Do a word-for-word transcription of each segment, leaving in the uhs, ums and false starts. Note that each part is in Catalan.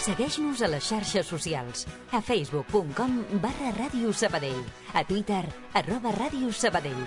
Segueix-nos a les xarxes socials, a facebook punt com barra Ràdio Sabadell, a Twitter, arroba Ràdio Sabadell.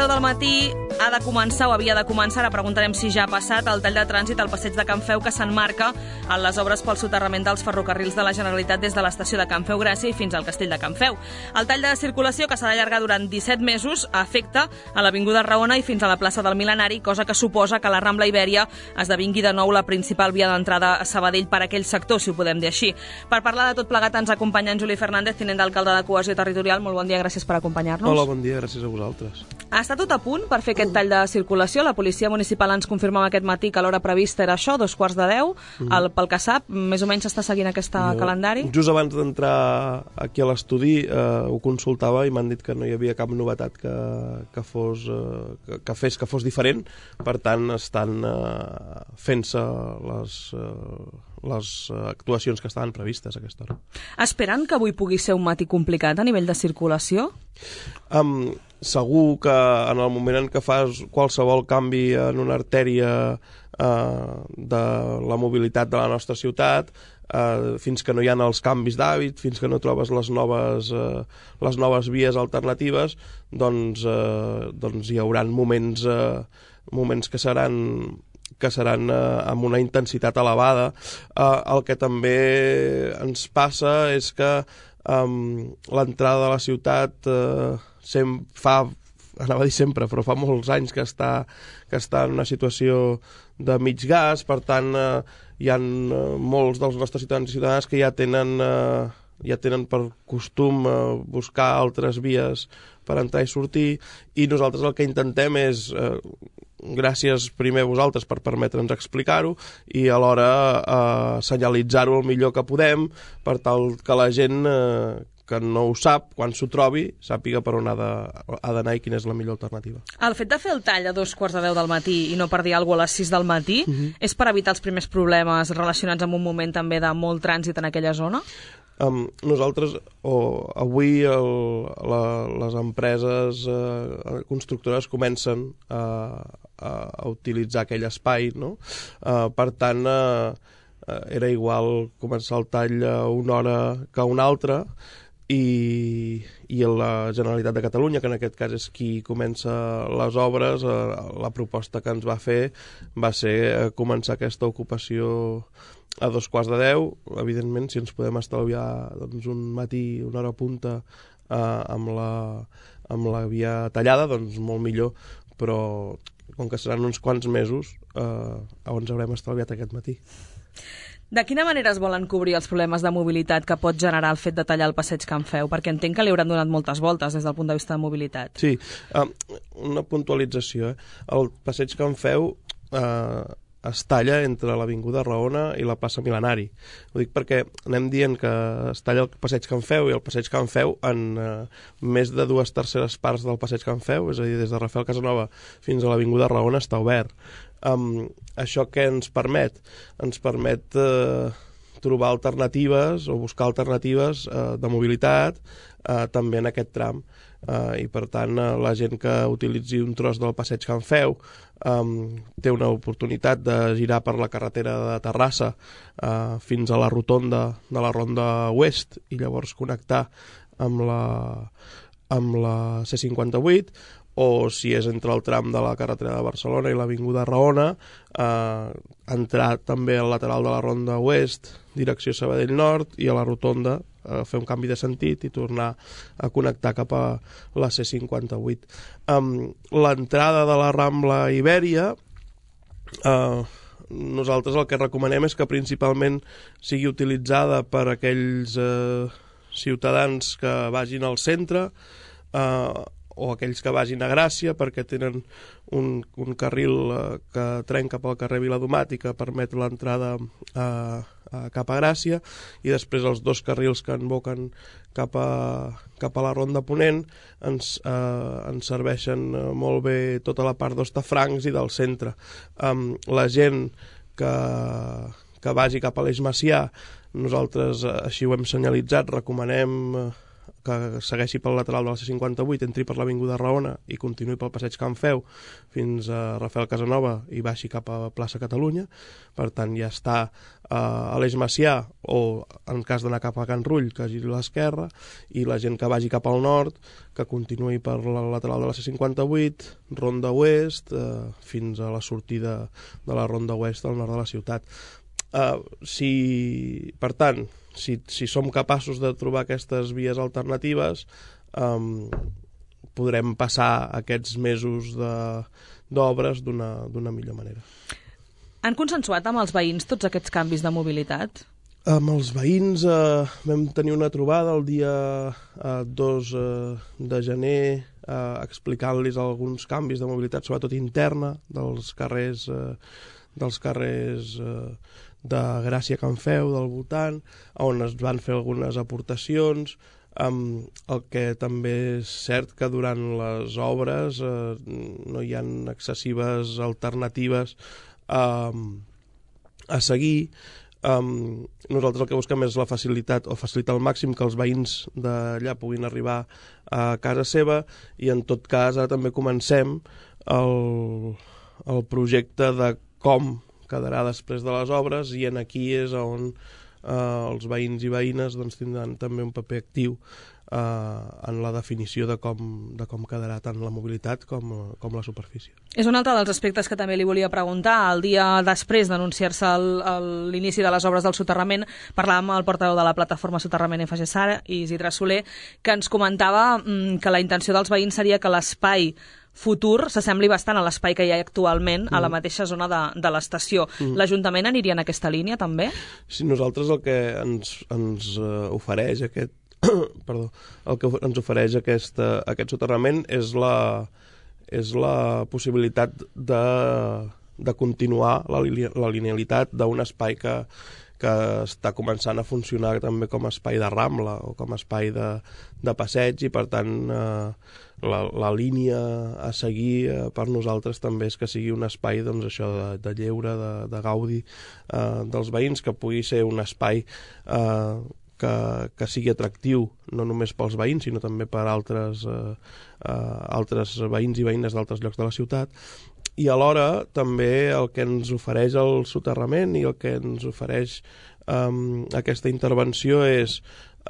Del matí ha de començar o havia de començar, ara preguntarem si ja ha passat, el tall de trànsit al passeig de Can Feu, que s'emmarca en les obres pel soterrament dels ferrocarrils de la Generalitat des de l'estació de Can Feu Gràcia i fins al castell de Can Feu. El tall de circulació, que s'ha d'allargar durant disset mesos, afecta a l'Avinguda Raona i fins a la plaça del Mil·lenari, cosa que suposa que la Rambla Ibèria esdevingui de nou la principal via d'entrada a Sabadell per aquell sector, si ho podem dir així. Per parlar de tot plegat ens acompanya en Juli Fernández, tinent d'alcalde de Cohesió Territorial. Molt bon dia, gràcies per acompanyar-nos. Hola, bon dia, gràcies a vosaltres. Està tot a punt per fer aquest tall de circulació. La policia municipal ens confirmava aquest matí que l'hora prevista era això, dos quarts de deu. Mm. El, pel que sap, més o menys s'està seguint aquest jo, calendari? Just abans d'entrar aquí a l'estudi eh, ho consultava i m'han dit que no hi havia cap novetat que, que, fos, eh, que, que fes que fos diferent. Per tant, estan eh, fent-se les... Eh, les actuacions que estaven previstes a aquesta hora. Esperen que avui pugui ser un matí complicat a nivell de circulació? Um, segur que en el moment en què fas qualsevol canvi en una artèria uh, de la mobilitat de la nostra ciutat, uh, fins que no hi ha els canvis d'hàbit, fins que no trobes les noves, uh, les noves vies alternatives, doncs, uh, doncs hi haurà moments, uh, moments que seran que seran eh, amb una intensitat elevada. Eh, el que també ens passa és que eh, l'entrada de la ciutat eh, sem fa, anava a dir sempre, però fa molts anys que està, que està en una situació de mig gas, per tant eh, hi ha eh, molts dels nostres ciutadans i ciutadanes que ja tenen, eh, ja tenen per costum eh, buscar altres vies per entrar i sortir, i nosaltres el que intentem és eh, gràcies primer a vosaltres per permetre'ns explicar-ho i alhora eh, senyalitzar-ho el millor que podem per tal que la gent eh, que no ho sap, quan s'ho trobi, sàpiga per on ha d'anar i quina és la millor alternativa. El fet de fer el tall a dos quarts de deu del matí i no per dir alguna cosa a les sis del matí uh-huh. és per evitar els primers problemes relacionats amb un moment també de molt trànsit en aquella zona? Um, nosaltres, oh, avui el, la, les empreses eh, constructores comencen a, a, a utilitzar aquell espai, no? Uh, per tant, uh, era igual començar el tall a una hora que a una altra, i, i la Generalitat de Catalunya, que en aquest cas és qui comença les obres, eh, la proposta que ens va fer va ser eh, començar aquesta ocupació a dos quarts de deu. Evidentment, si ens podem estalviar doncs, un matí, una hora punta eh, amb, la, amb la via tallada, doncs molt millor, però com que seran uns quants mesos, eh, ens haurem estalviat aquest matí. De quina manera es volen cobrir els problemes de mobilitat que pot generar el fet de tallar el passeig Can Feu? Perquè entenc que li hauran donat moltes voltes des del punt de vista de mobilitat. Sí, uh, una puntualització. Eh? El passeig Can Feu uh, es talla entre l'Avinguda Raona i la plaça Mil·lenari. Ho dic perquè anem dient que es talla el passeig Can Feu i el passeig Can Feu en uh, més de dues terceres parts del passeig Can Feu, és a dir, des de Rafael Casanova fins a l'Avinguda Raona està obert. Um, això què ens permet? Ens permet eh, trobar alternatives o buscar alternatives eh, de mobilitat eh, també en aquest tram. Eh, I per tant eh, la gent que utilitzi un tros del passeig Can Feu eh, té una oportunitat de girar per la carretera de Terrassa eh, fins a la rotonda de la Ronda Oest i llavors connectar amb la, amb la C cinquanta-vuit, o si és entre el tram de la carretera de Barcelona i l'Avinguda Raona, eh, entrar també al lateral de la Ronda Oest, direcció Sabadell Nord, i a la rotonda eh, fer un canvi de sentit i tornar a connectar cap a la C cinquanta-vuit. Um, L'entrada de la Rambla Ibèria, eh, nosaltres el que recomanem és que principalment sigui utilitzada per aquells eh, ciutadans que vagin al centre, eh, o aquells que vagin a Gràcia perquè tenen un, un carril eh, que trenca pel carrer Viladomat i que permet l'entrada a, a, cap a Gràcia, i després els dos carrils que envoquen cap a, cap a la Ronda Ponent ens, eh, ens serveixen molt bé tota la part d'Hostafrancs i del centre. Um, la gent que, que vagi cap a l'Eix Macià, nosaltres així ho hem senyalitzat, recomanem que segueixi pel lateral de la C cinquanta-vuit, entri per l'Avinguda Raona i continuï pel passeig Can Feu fins a Rafael Casanova i baixi cap a plaça Catalunya. Per tant, ja està eh, a l'Eix Macià, o en cas d'anar cap a Can Rull, que giri a l'esquerra, i la gent que vagi cap al nord, que continuï per la lateral de la C cinquanta-vuit, Ronda Oest, eh, fins a la sortida de la Ronda Oest al nord de la ciutat. Uh, si, per tant, si, si som capaços de trobar aquestes vies alternatives, um, podrem passar aquests mesos d'obres d'una d'una millor manera. Han consensuat amb els veïns tots aquests canvis de mobilitat? Amb els veïns eh, vam tenir una trobada el dia eh, dos eh, de gener eh, explicant-los alguns canvis de mobilitat, sobretot interna, dels carrers, eh, dels carrers eh, de Gràcia, Can Feu, del voltant, on es van fer algunes aportacions. Um, el que també és cert que durant les obres eh, no hi ha excessives alternatives um, a seguir. Um, nosaltres el que busquem és la facilitat, o facilitar al màxim que els veïns d'allà puguin arribar a casa seva, i en tot cas ara també comencem el, el projecte de com quedarà després de les obres, i en aquí és on eh, els veïns i veïnes doncs, tindran també un paper actiu eh, en la definició de com, de com quedarà tant la mobilitat com, com la superfície. És un altre dels aspectes que també li volia preguntar. El dia després d'anunciar-se l'inici de les obres del soterrament, parlàvem amb el portaveu de la plataforma Soterrament F G S A R, Isidre Soler, que ens comentava mm, que la intenció dels veïns seria que l'espai futur s'assembli bastant a l'espai que hi ha actualment a la mateixa zona de, de l'estació. Mm. L'Ajuntament aniria en aquesta línia, també? Sí, nosaltres el que ens, ens uh, ofereix aquest perdó, el que ens ofereix aquest, uh, aquest soterrament és la, és la possibilitat de, de continuar la, la linealitat d'un espai que, que està començant a funcionar també com a espai de rambla o com a espai de, de passeig, i per tant eh, la, la línia a seguir eh, per nosaltres també és que sigui un espai, doncs, això de, de lleure, de, de gaudi eh, dels veïns, que pugui ser un espai eh, que, que sigui atractiu no només pels veïns sinó també per altres, eh, eh, altres veïns i veïnes d'altres llocs de la ciutat. I alhora també el que ens ofereix el soterrament i el que ens ofereix um, aquesta intervenció és,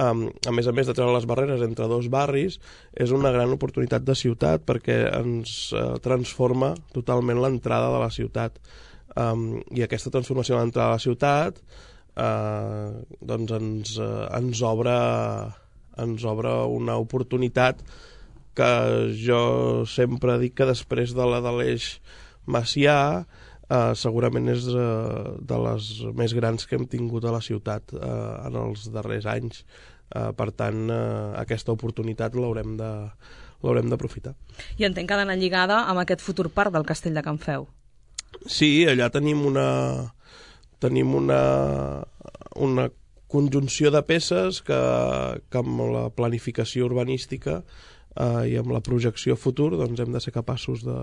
um, a més a més de treure les barreres entre dos barris, és una gran oportunitat de ciutat perquè ens uh, transforma totalment l'entrada de la ciutat. Um, I aquesta transformació de l'entrada de la ciutat uh, doncs ens, uh, ens, obre, ens obre una oportunitat que jo sempre dic que després de la de l'Eix Macià eh, segurament és eh, de les més grans que hem tingut a la ciutat eh, en els darrers anys. Eh, per tant, eh, aquesta oportunitat l'haurem de, l'haurem d'aprofitar. I entenc que ha d'anar lligada amb aquest futur parc del Castell de Can Feu. Sí, allà tenim una, tenim una, una conjunció de peces que, que amb la planificació urbanística Uh, i amb la projecció futur doncs hem de ser capaços de,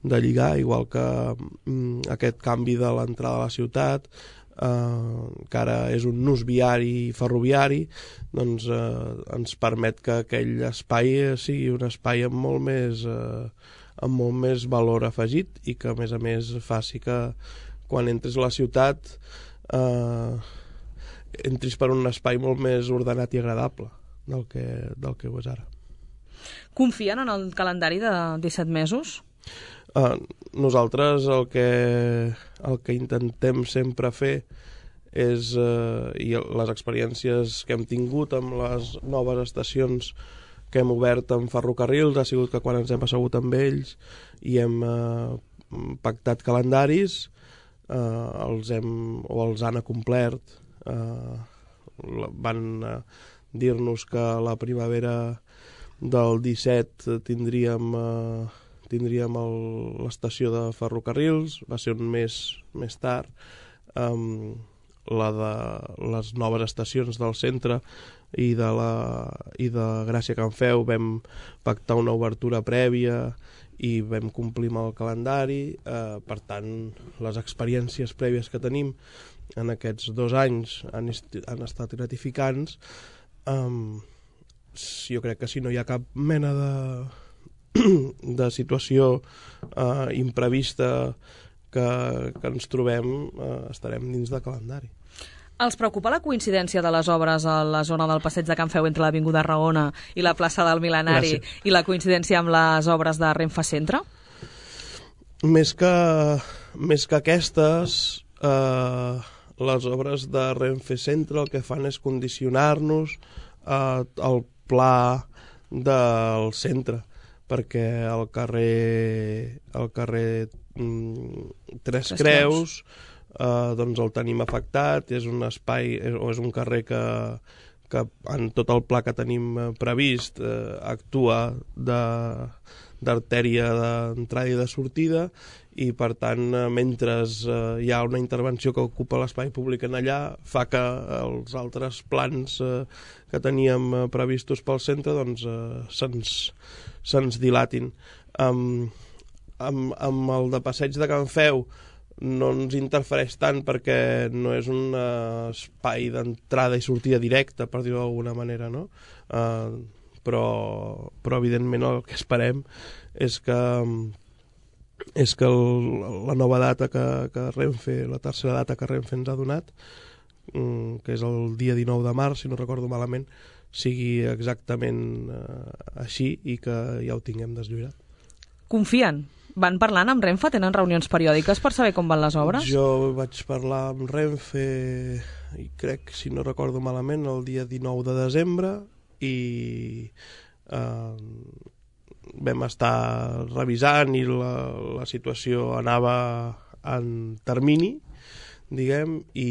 de lligar, igual que um, aquest canvi de l'entrada a la ciutat, uh, que ara és un nus viari i ferroviari, doncs uh, ens permet que aquell espai sigui un espai amb molt més, uh, amb molt més valor afegit, i que a més a més faci que quan entres a la ciutat uh, entris per un espai molt més ordenat i agradable del que, del que ho és ara. Confien en el calendari de disset mesos? Uh, nosaltres el que, el que intentem sempre fer és, uh, i les experiències que hem tingut amb les noves estacions que hem obert amb ferrocarrils ha sigut que quan ens hem assegut amb ells i hem uh, pactat calendaris, uh, els hem, o els han acomplert. Uh, van uh, dir-nos que la primavera del disset tindríem, eh, tindríem l'estació de ferrocarrils, va ser un mes més tard, um, la de les noves estacions del centre i de, la, i de Gràcia Can Feu vam pactar una obertura prèvia i vam complir amb el calendari. Eh, per tant, les experiències prèvies que tenim en aquests dos anys han, han estat gratificants. Um, jo crec que si no hi ha cap mena de, de situació uh, imprevista que, que ens trobem, uh, estarem dins de calendari. Els preocupa la coincidència de les obres a la zona del Passeig de Can Feu entre l'Avinguda Raona i la plaça del Mil·lenari Gràcies. I la coincidència amb les obres de Renfe Centre? Més que, més que aquestes, eh, les obres de Renfe Centre el que fan és condicionar-nos eh, el pla del centre, perquè el carrer, el carrer mm, Tres, Tres Creus, Creus Uh, doncs el tenim afectat, és un espai o és un carrer que, que en tot el pla que tenim previst uh, actua d'artèria d'entrada i de sortida, i per tant uh, mentre uh, hi ha una intervenció que ocupa l'espai públic en allà, fa que els altres plans uh, que teníem uh, previstos pel centre doncs uh, se'ns se'ns dilatin. Um, amb, amb el de Passeig de Can Feu no ens interfereix tant perquè no és un uh, espai d'entrada i sortida directa, per dir-ho d'alguna manera, no? Uh, però, però evidentment el que esperem és que és que el, la nova data que, que Renfe, la tercera data que Renfe ens ha donat, um, que és el dia dinou de març, si no recordo malament, sigui exactament uh, així i que ja ho tinguem deslluirat. Confien? Van parlant amb Renfe? Tenen reunions periòdiques per saber com van les obres? Jo vaig parlar amb Renfe, i crec, si no recordo malament, el dia dinou de desembre, i eh, vam estar revisant i la, la situació anava en termini, diguem, i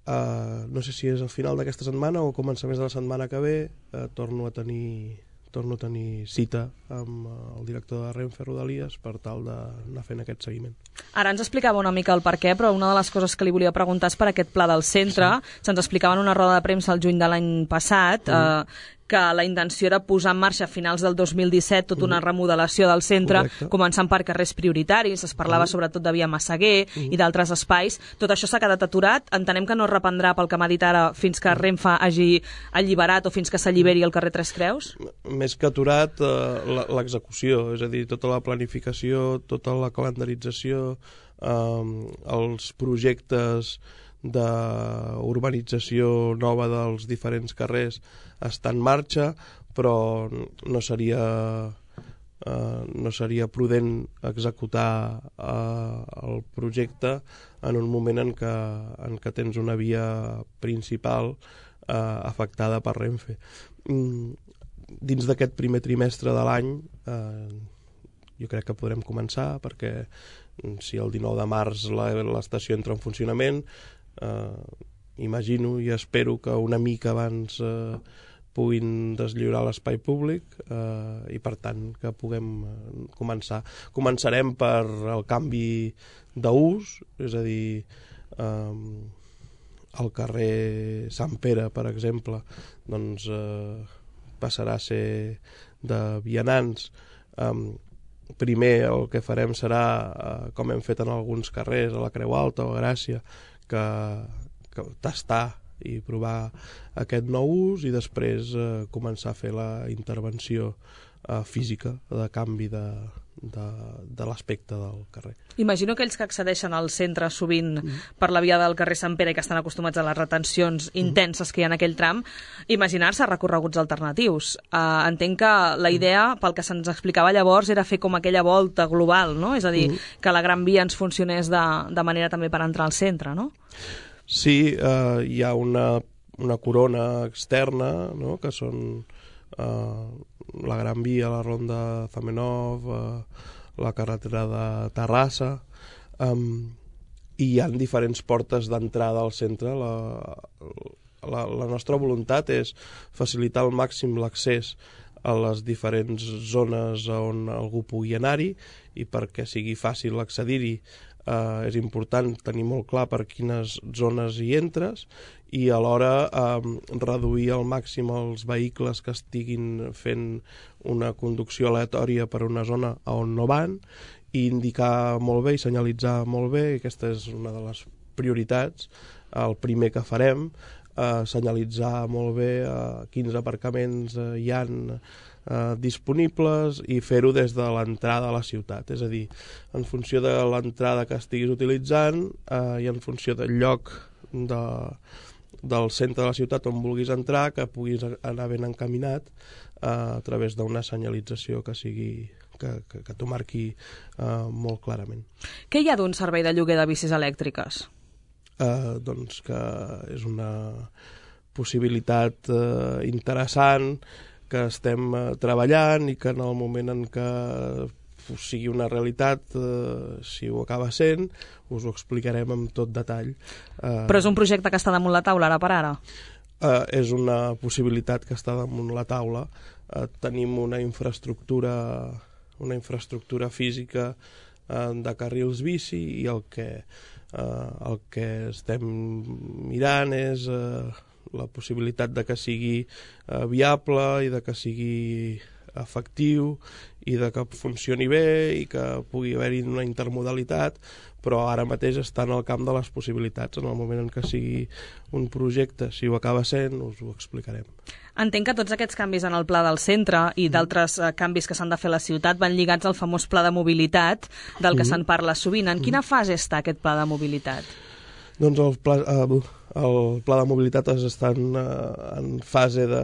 eh, no sé si és al final d'aquesta setmana o començaments de la setmana que ve, eh, torno a tenir... torno a tenir cita amb el director de Renfe Rodalies per tal d'anar fent aquest seguiment. Ara ens explicava una mica el per què, però una de les coses que li volia preguntar és per aquest pla del centre. Sí. Se'ns explicava en una roda de premsa el juny de l'any passat, mm. eh, que la intenció era posar en marxa a finals del dos mil disset tota una remodelació del centre, Correcte. Començant per carrers prioritaris, es parlava mm. sobretot de Via Massaguer mm. i d'altres espais. Tot això s'ha quedat aturat. Entenem que no es reprendrà, pel que m'ha dit ara, fins que Renfe hagi alliberat o fins que s'alliberi el carrer Tres Creus? Més que aturat, eh, l'execució, és a dir, tota la planificació, tota la calendarització, eh, els projectes d'urbanització nova dels diferents carrers està en marxa, però no seria, eh, no seria prudent executar eh, el projecte en un moment en què, en què tens una via principal eh, afectada per Renfe. Mm, dins d'aquest primer trimestre de l'any eh, jo crec que podrem començar, perquè si el dinou de març l'estació entra en funcionament, Uh, imagino i espero que una mica abans uh, puguin deslliurar l'espai públic uh, i per tant que puguem uh, començar. Començarem per el canvi d'ús, és a dir, um, el carrer Sant Pere, per exemple, doncs uh, passarà a ser de vianants. Um, primer el que farem serà, uh, com hem fet en alguns carrers, a la Creu Alta o a Gràcia, Que, que tastar i provar aquest nou ús i després eh, començar a fer la intervenció eh, física de canvi de, de, de l'aspecte del carrer. Imagino que ells que accedeixen al centre sovint mm. per la via del carrer Sant Pere i que estan acostumats a les retencions intenses mm. que hi ha en aquell tram, imaginar-se recorreguts alternatius. Uh, entenc que la idea, pel que se'ns explicava llavors, era fer com aquella volta global, no? És a dir, mm. que la Gran Via ens funcionés de, de manera també per entrar al centre, no? Sí, uh, hi ha una, una corona externa, no?, que són uh, la Gran Via, la Ronda Zamenhof, uh, la carretera de Terrassa, um, i hi ha diferents portes d'entrada al centre. La, la, la nostra voluntat és facilitar al màxim l'accés a les diferents zones on algú pugui anar-hi, i perquè sigui fàcil accedir-hi eh, és important tenir molt clar per quines zones hi entres, i alhora eh, reduir al màxim els vehicles que estiguin fent una conducció aleatòria per una zona on no van, i indicar molt bé i senyalitzar molt bé. Aquesta és una de les prioritats, el primer que farem, eh, senyalitzar molt bé eh, quins aparcaments eh, hi ha eh, disponibles, i fer-ho des de l'entrada a la ciutat, és a dir, en funció de l'entrada que estiguis utilitzant eh, i en funció del lloc de, del centre de la ciutat on vulguis entrar, que puguis anar ben encaminat eh, a través d'una senyalització que sigui que, que, que t'ho marqui eh, molt clarament. Què hi ha d'un servei de lloguer de bicis elèctriques? Eh, doncs que és una possibilitat eh, interessant, que estem eh, treballant, i que en el moment en què sigui una realitat, eh, si ho acaba sent, us ho explicarem amb tot detall. Eh, Però és un projecte que està damunt la taula ara per ara? Eh, és una possibilitat que està damunt la taula. Eh, tenim una infraestructura una infraestructura física eh, de carrils bici, i el que, eh, el que estem mirant és eh, la possibilitat de que sigui eh, viable, i de que sigui efectiu, i de que funcioni bé, i que pugui haver-hi una intermodalitat, però ara mateix està en el camp de les possibilitats. En el moment en què sigui un projecte, si ho acaba sent, us ho explicarem. Entenc que tots aquests canvis en el pla del centre i d'altres eh, canvis que s'han de fer a la ciutat van lligats al famós pla de mobilitat del que mm. se'n parla sovint. En quina fase està aquest pla de mobilitat? Doncs el pla, eh, el pla de mobilitat està en, en fase de,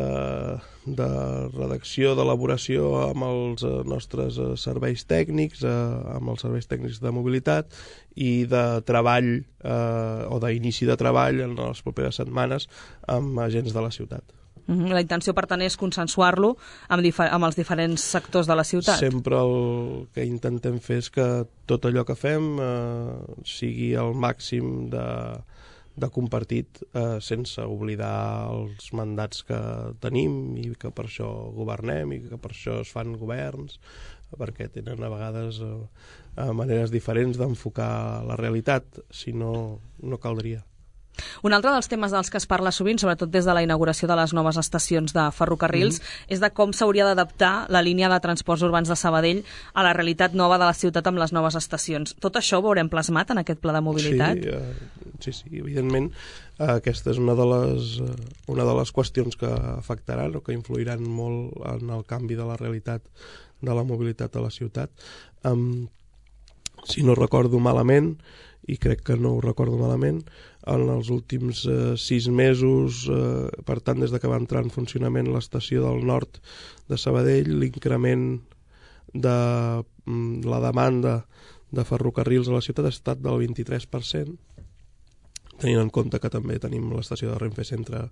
de redacció, d'elaboració amb els nostres serveis tècnics, eh, amb els serveis tècnics de mobilitat, i de treball eh, o d'inici de treball en les properes setmanes amb agents de la ciutat. La intenció, per tant, és consensuar-lo amb, amb els diferents sectors de la ciutat. Sempre el que intentem fer és que tot allò que fem eh, sigui el màxim de, de compartit, eh, sense oblidar els mandats que tenim, i que per això governem, i que per això es fan governs, perquè tenen a vegades eh, maneres diferents d'enfocar la realitat, si no, no caldria. Un altre dels temes dels que es parla sovint, sobretot des de la inauguració de les noves estacions de ferrocarrils, mm-hmm. és de com s'hauria d'adaptar la línia de transports urbans de Sabadell a la realitat nova de la ciutat amb les noves estacions. Tot això ho veurem plasmat en aquest pla de mobilitat? Sí, uh, sí, sí, evidentment. Uh, aquesta és una de, les, uh, una de les qüestions que afectaran o que influiran molt en el canvi de la realitat de la mobilitat a la ciutat. Um, si no recordo malament, i crec que no ho recordo malament, en els últims eh, sis mesos, eh, per tant, des de que va entrar en funcionament l'estació del nord de Sabadell, l'increment de mm, la demanda de ferrocarrils a la ciutat ha estat del vint-i-tres per cent, tenint en compte que també tenim l'estació de Renfe Centre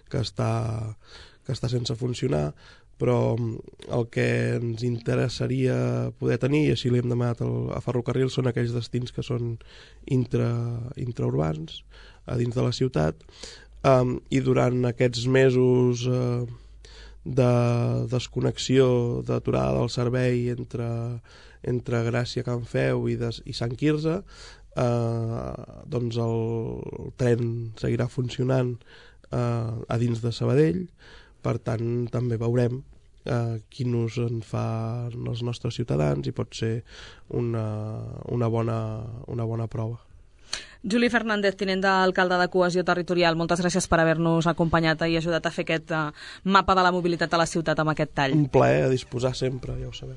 que està, que està sense funcionar, però el que ens interessaria poder tenir, i així li hem demanat a Ferrocarrils, són aquells destins que són intra, intraurbans, a dins de la ciutat, um, i durant aquests mesos uh, de desconnexió, d'aturada del servei entre, entre Gràcia, Can Feu i, des, i Sant Quirze, uh, doncs el, el tren seguirà funcionant uh, a dins de Sabadell. Per tant, també veurem eh, quin ús en fan els nostres ciutadans, i pot ser una, una, bona, una bona prova. Juli Fernández, tinent d'alcalde de Cohesió Territorial, moltes gràcies per haver-nos acompanyat i ajudat a fer aquest uh, mapa de la mobilitat a la ciutat amb aquest tall. Un plaer, a disposar sempre, ja ho sabeu.